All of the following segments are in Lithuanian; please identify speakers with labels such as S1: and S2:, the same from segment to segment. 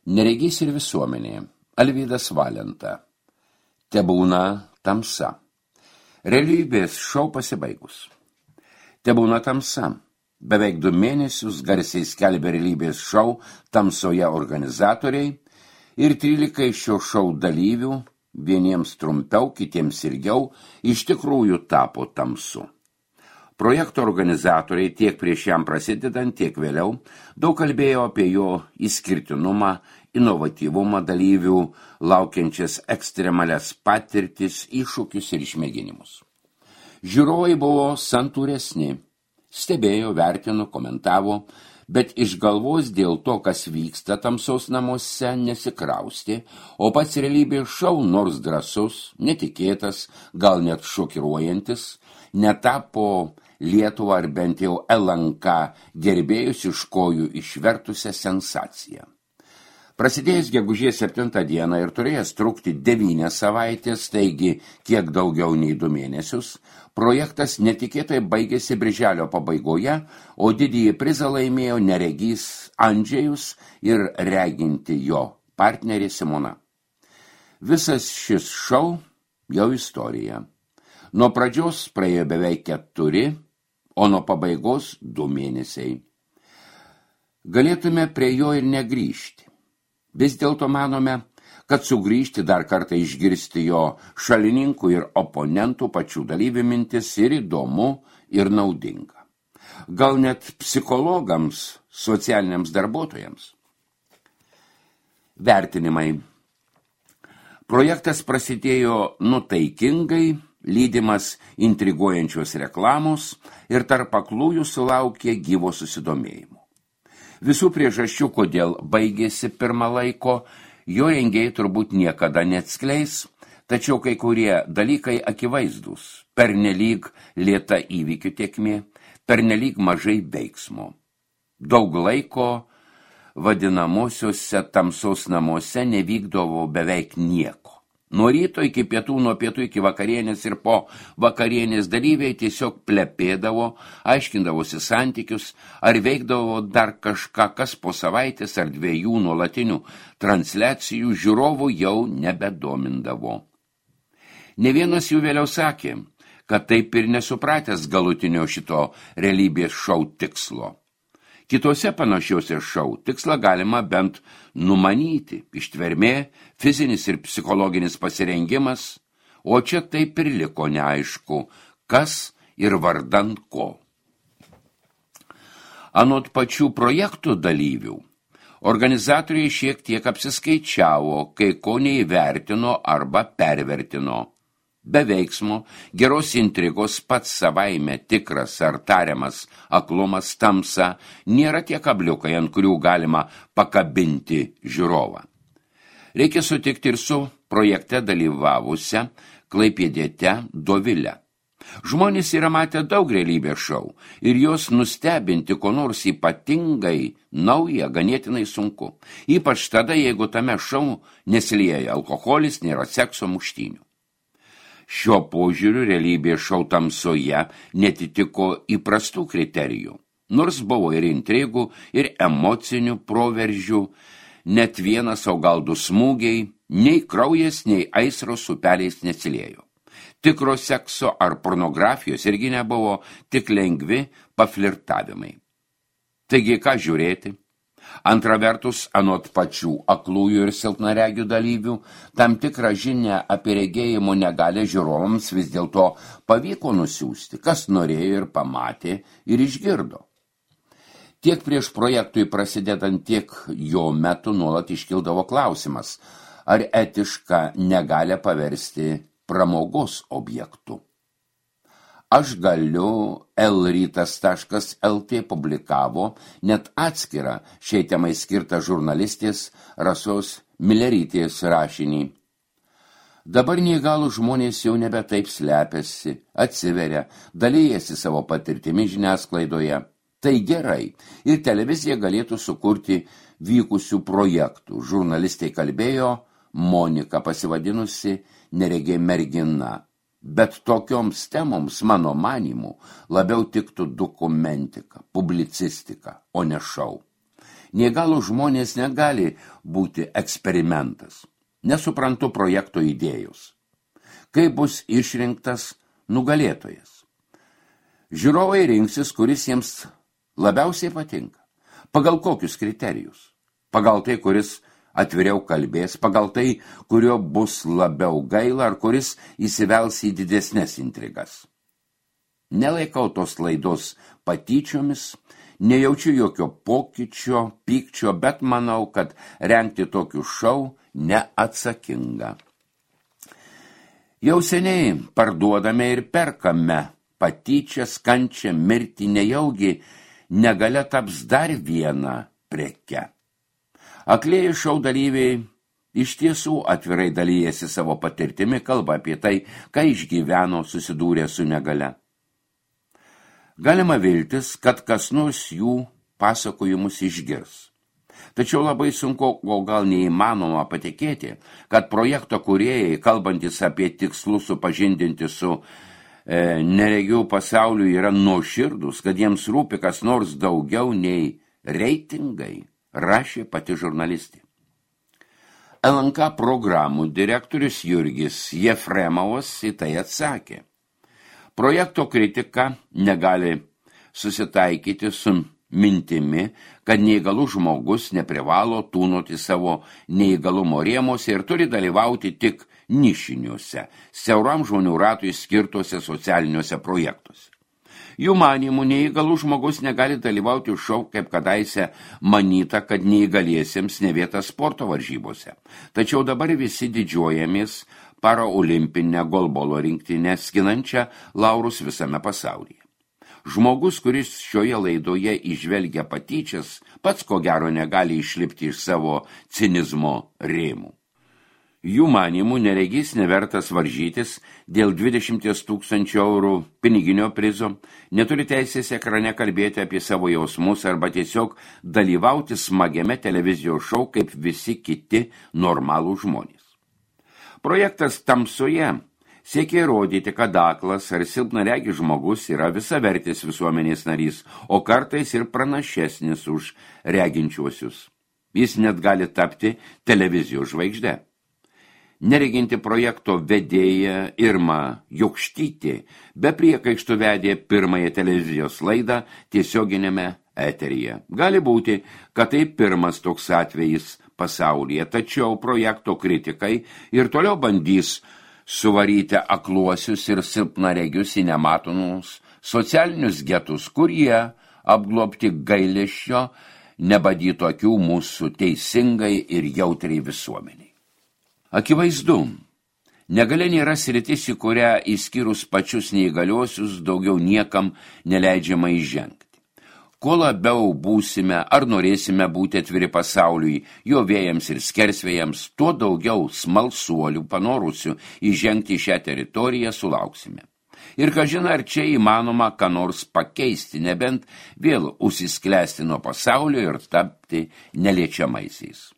S1: Neregys ir visuomenė. Alvydas Valenta. Tebūna tamsa. Realybės šou pasibaigus. Tebūna tamsa. Beveik 2 mėnesius garsiai skelbė realybės šou tamsoje organizatoriai ir 13 šio šou dalyvių, vieniems trumpiau, kitiems ilgiau, iš tikrųjų tapo tamsu. Projekto organizatoriai tiek prieš jam prasidedant, tiek vėliau daug kalbėjo apie jo išskirtinumą, inovatyvumą dalyvių, laukiančias ekstremalias patirtis, iššūkius ir išmėginimus. Žiūrovai buvo santūresni, stebėjo, vertino, komentavo, bet iš galvos dėl to, kas vyksta tamsos namuose, nesikraustė, o pats realybės šou, nors drąsus, netikėtas, gal net šokiruojantis, netapo Lietuvą ar bent jau LNK gerbėjus iš kojų išvertusią sensaciją. Prasidėjęs gegužės 7 dieną ir turėjęs trukti 9 savaitės, taigi kiek daugiau nei 2 mėnesius, projektas netikėtai baigėsi birželio pabaigoje, o didįjį prizą laimėjo neregys Andžejus ir reginti jo partnerė Simona. Visas šis šou jau istorija. Nuo pradžios praėjo beveik 4, o nuo pabaigos 2 mėnesiai. Galėtume prie jo ir negrįžti. Vis dėlto manome, kad sugrįžti dar kartą išgirsti jo šalininkų ir oponentų pačių dalyvių mintis ir įdomu, ir naudinga. Gal net psichologams, socialiniams darbuotojams. Vertinimai. Projektas prasidėjo nutaikingai, lydimas intriguojančios reklamos ir tarp aklųjų sulaukė gyvo susidomėjimo. Visų priežasčių, kodėl baigėsi pirmą laiko, jo rengėjai turbūt niekada neatskleis, tačiau kai kurie dalykai akivaizdūs, pernelyg lėta įvykių tėkmė, pernelyg mažai veiksmo. Daug laiko vadinamosiuose tamsos namuose nevykdavo beveik nieko. Nuo ryto iki pietų, nuo pietų iki vakarienės ir po vakarienės dalyviai tiesiog plepėdavo, aiškindavosi santykius ar veikdavo dar kažką, kas po savaitės ar 2 nuolatinių transliacijų žiūrovų jau nebedomindavo. Ne vienas jų vėliau sakė, kad taip ir nesupratęs galutinio šito realybės šou tikslo. Kitose panašiuose šou tikslą galima bent numanyti, ištvermė, fizinis ir psichologinis pasirengimas, o čia taip ir liko neaišku, kas ir vardan ko. Anot pačių projektų dalyvių, organizatoriai šiek tiek apsiskaičiavo, kai ko neįvertino arba pervertino. Be veiksmo, geros intrigos pats savaime tikras ar tariamas aklumas tamsa nėra tie kabliukai, ant kurių galima pakabinti žiūrovą. Reikia sutikti ir su projekte dalyvavusią klaipėdiete Dovilę. Žmonės yra matę daug realybės šou ir jos nustebinti ko nors ypatingai nauja ganėtinai sunku. Ypač tada, jeigu tame šou nesilieja alkoholis, nėra sekso, muštynių. Šiuo požiūriu realybės šou tamsoje netitiko įprastų kriterijų, nors buvo ir intrigų, ir emocinių proveržių, net vienas, o gal 2 smūgiai, nei kraujas, nei aistros upeliais nesiliejo. Tikro sekso ar pornografijos irgi nebuvo, tik lengvi paflirtavimai. Taigi, ką žiūrėti? Antra vertus, anot pačių aklųjų ir silpnaregių dalyvių, tam tikrą žinią apie regėjimo negalę žiūrovams vis dėlto pavyko nusiųsti, kas norėjo ir pamatė ir išgirdo. Tiek prieš projektui prasidedant, tiek jo metu nuolat iškildavo klausimas, ar etiška negalę paversti pramogos objektu. Aš galiu lrytas.lt publikavo net atskirą šiai temai skirtą žurnalistės Rasos Milerytės rašinį. Dabar neįgalų žmonės jau nebe taip slepiasi, atsiveria, dalyjasi savo patirtimi žiniasklaidoje. Tai gerai, ir televizija galėtų sukurti vykusių projektų. Žurnalistai kalbėjo, Monika pasivadinusi neregė mergina. Bet tokioms temoms, mano manimu, labiau tiktų dokumentika, publicistika, o ne šou. Neįgalų žmonės negali būti eksperimentas. Nesuprantu projekto idėjos. Kaip bus išrinktas nugalėtojas? Žiūrovai rinksis, kuris jiems labiausiai patinka. Pagal kokius kriterijus? Pagal tai, kuris atviriau kalbės, pagal tai, kurio bus labiau gaila, ar kuris įsivels į didesnės intrigas. Nelaikau tos laidos patyčiomis, nejaučiu jokio pokyčio, pykčio, bet manau, kad rengti tokių šou neatsakinga. Jau seniai parduodame ir perkame patyčias, kančią, mirtį, nejaugi negalia taps dar viena preke. Aklieji šou dalyviai iš tiesų atvirai dalyjasi savo patirtimi, kalba apie tai, ką išgyveno susidūrė su negalia. Galima viltis, kad kas nors jų pasakojimus išgirs. Tačiau labai sunku, o gal neįmanoma patikėti, kad projekto kūrėjai, kalbantis apie tikslus supažindinti su neregių pasauliu, yra nuoširdūs, kad jiems rūpi kas nors daugiau nei reitingai, rašė pati žurnalistė. LNK programų direktorius Jurgis Jefremovas į tai atsakė. Projekto kritika negali susitaikyti su mintimi, kad neįgalus žmogus neprivalo tūnoti savo neįgalumo rėmuose ir turi dalyvauti tik nišiniuose, siauram žmonių ratui skirtuose socialiniuose projektuose. Jų manymų neįgalus žmogus negali dalyvauti šou, kaip kadaise manyta, kad neįgaliesiems ne vieta sporto varžybose. Tačiau dabar visi didžiuojamės paraolimpinę golbolo rinktinę, skinančią laurus visame pasaulyje. Žmogus, kuris šioje laidoje įžvelgia patyčias, pats ko gero negali išlipti iš savo cinizmo rėmų. Jų manymų neregys nevertas varžytis dėl 20 000 eurų piniginio prizo, neturi teisės ekrane kalbėti apie savo jausmus arba tiesiog dalyvauti smagiame televizijos šou kaip visi kiti normalų žmonės. Projektas Tamsoje siekia įrodyti, kad aklas ar silpnaregis žmogus yra visavertis visuomenės narys, o kartais ir pranašesnis už reginčiuosius. Jis net gali tapti televizijos žvaigžde. Nereginti projekto vedėja Irma Jokštytė be priekaištų vedė pirmąją televizijos laidą tiesioginėme eteryje. Gali būti, kad tai pirmas toks atvejis pasaulyje, tačiau projekto kritikai ir toliau bandys suvaryti akluosius ir silpnaregius į nematomus socialinius getus, kurie apglobti gailesčio nebadytų akių mūsų teisingai ir jautriai visuomeniai. Akivaizdu, negalia nėra sritis, į kurią išskyrus pačius neįgaliuosius daugiau niekam neleidžiama įžengti. Kuo labiau būsime ar norėsime būti atviri pasauliui, jo vėjams ir skersvėjams, tuo daugiau smalsuolių panorusių įžengti šią teritoriją sulauksime. Ir kažin ar čia įmanoma ką nors pakeisti, nebent vėl užsisklęsti nuo pasaulio ir tapti neliečiamaisiais.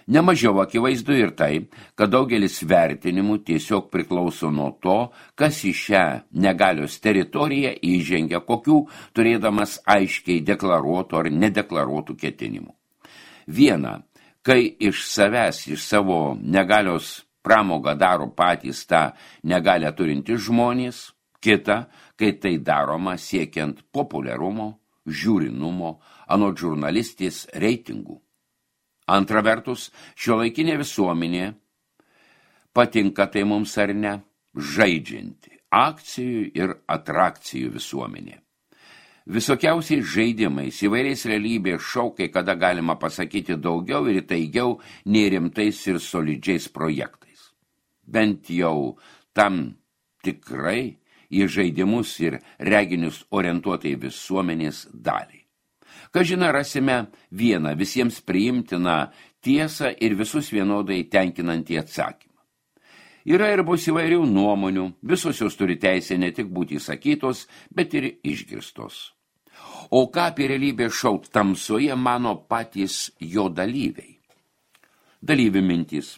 S1: Nemažiau akivaizdu ir tai, kad daugelis vertinimų tiesiog priklauso nuo to, kas į šią negalios teritoriją įžengia, kokių turėdamas aiškiai deklaruotų ar nedeklaruotų ketinimų. Viena, kai iš savęs, iš savo negalios pramogą daro patys tą negalią turintys žmonės, kita, kai tai daroma siekiant populiarumo, žiūrinumo, anot žurnalistės reitingų. Antra vertus, šiuolaikinė visuomenė, patinka tai mums ar ne, žaidžianti akcijų ir atrakcijų visuomenė. Visokiausiais žaidimais, įvairiais realybės šou, kai kada galima pasakyti daugiau ir įtaigiau nei rimtais ir solidžiais projektais. Bent jau tam tikrai į žaidimus ir reginius orientuotai visuomenės daliai. Kažina rasime vieną visiems priimtiną tiesą ir visus vienodai tenkinantį atsakymą. Yra ir bus įvairių nuomonių, visos jos turi teisę ne tik būti įsakytos, bet ir išgirstos. O ką apie realybės šou Tamsoje mano patys jo dalyviai? Dalyvių mintys.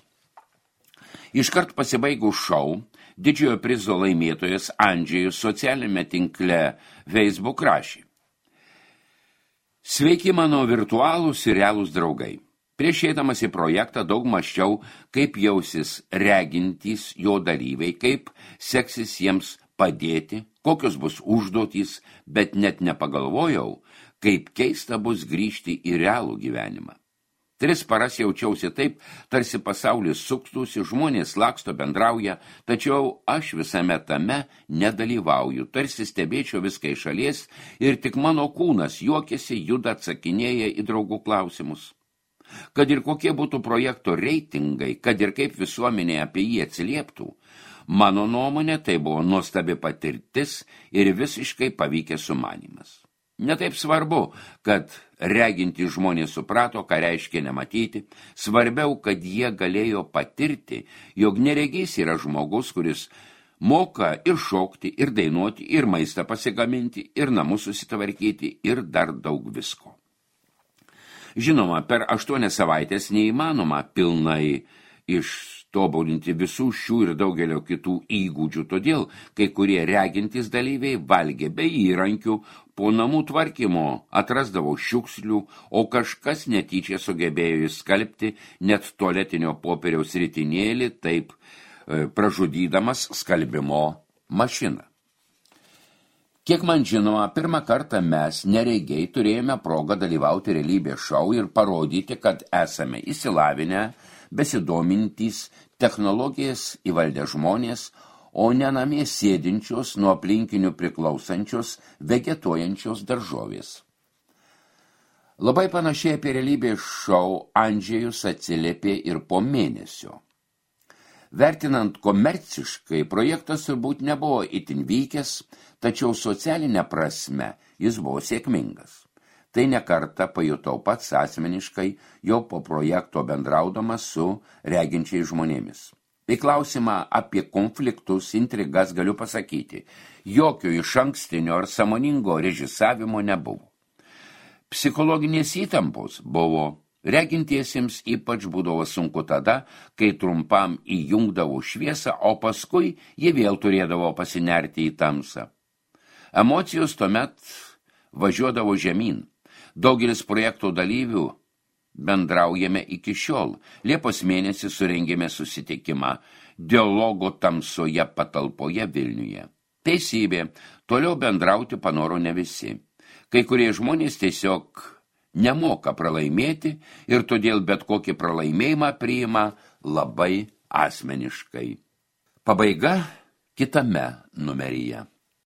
S1: Iškart pasibaigus šou, didžiojo prizo laimėtojas Andžejus socialinėme tinkle Facebook rašė. Sveiki mano virtualūs ir realūs draugai. Prieš eidamas į projektą daug mąsčiau, kaip jausis regintys jo dalyviai, kaip seksis jiems padėti, kokios bus užduotys, bet net nepagalvojau, kaip keista bus grįžti į realų gyvenimą. 3 paras jaučiausi taip, tarsi pasaulis sukstųsi, žmonės laksto, bendrauja, tačiau aš visame tame nedalyvauju, tarsi stebėčiau viską iš šalies ir tik mano kūnas juokiasi, juda, atsakinėja į draugų klausimus. Kad ir kokie būtų projekto reitingai, kad ir kaip visuomenė apie jį atsilieptų, mano nuomonė tai buvo nuostabi patirtis ir visiškai pavykęs sumanymas. Netaip svarbu, kad reginti žmonės suprato, ką reiškia nematyti, svarbiau, kad jie galėjo patirti, jog neregys yra žmogus, kuris moka ir šokti, ir dainuoti, ir maistą pasigaminti, ir namus susitvarkyti, ir dar daug visko. Žinoma, per 8 savaitės neįmanoma pilnai ištobulinti visų šių ir daugelio kitų įgūdžių, todėl kai kurie regintys dalyviai valgė be įrankių, po namų tvarkymo atrasdavo šiukšlių, o kažkas netyčia sugebėjo įskalbti net tualetinio popieriaus ritinėlį, taip pražudydamas skalbimo mašiną. Kiek man žinoma, pirmą kartą mes, neregiai, turėjome progą dalyvauti realybės šou ir parodyti, kad esame įsilavinę, besidomintys, technologijas įvaldę žmonės, o ne namie sėdinčios, nuo aplinkinių priklausančios, vegetuojančios daržovės. Labai panašiai apie realybės šou Andžejus atsiliepė ir po mėnesio. Vertinant komerciškai, projektas turbūt nebuvo itin vykęs, tačiau socialinė prasme jis buvo sėkmingas. Tai nekartą pajutau pats asmeniškai, jau po projekto bendraudamas su reginčiais žmonėmis. Į klausimą apie konfliktus, intrigas galiu pasakyti, jokio išankstinio ar sąmoningo režisavimo nebuvo. Psichologinės įtampos buvo, regintiesiems ypač būdavo sunku tada, kai trumpam įjungdavo šviesą, o paskui jie vėl turėdavo pasinerti į tamsą. Emocijos tuomet važiuodavo žemyn. Daugelis projekto dalyvių bendraujame iki šiol. Liepos mėnesį surengėme susitikimą dialogo tamsoje patalpoje Vilniuje. Teisybė, toliau bendrauti panoro ne visi. Kai kurie žmonės tiesiog nemoka pralaimėti ir todėl bet kokį pralaimėjimą priima labai asmeniškai. Pabaiga kitame numeryje.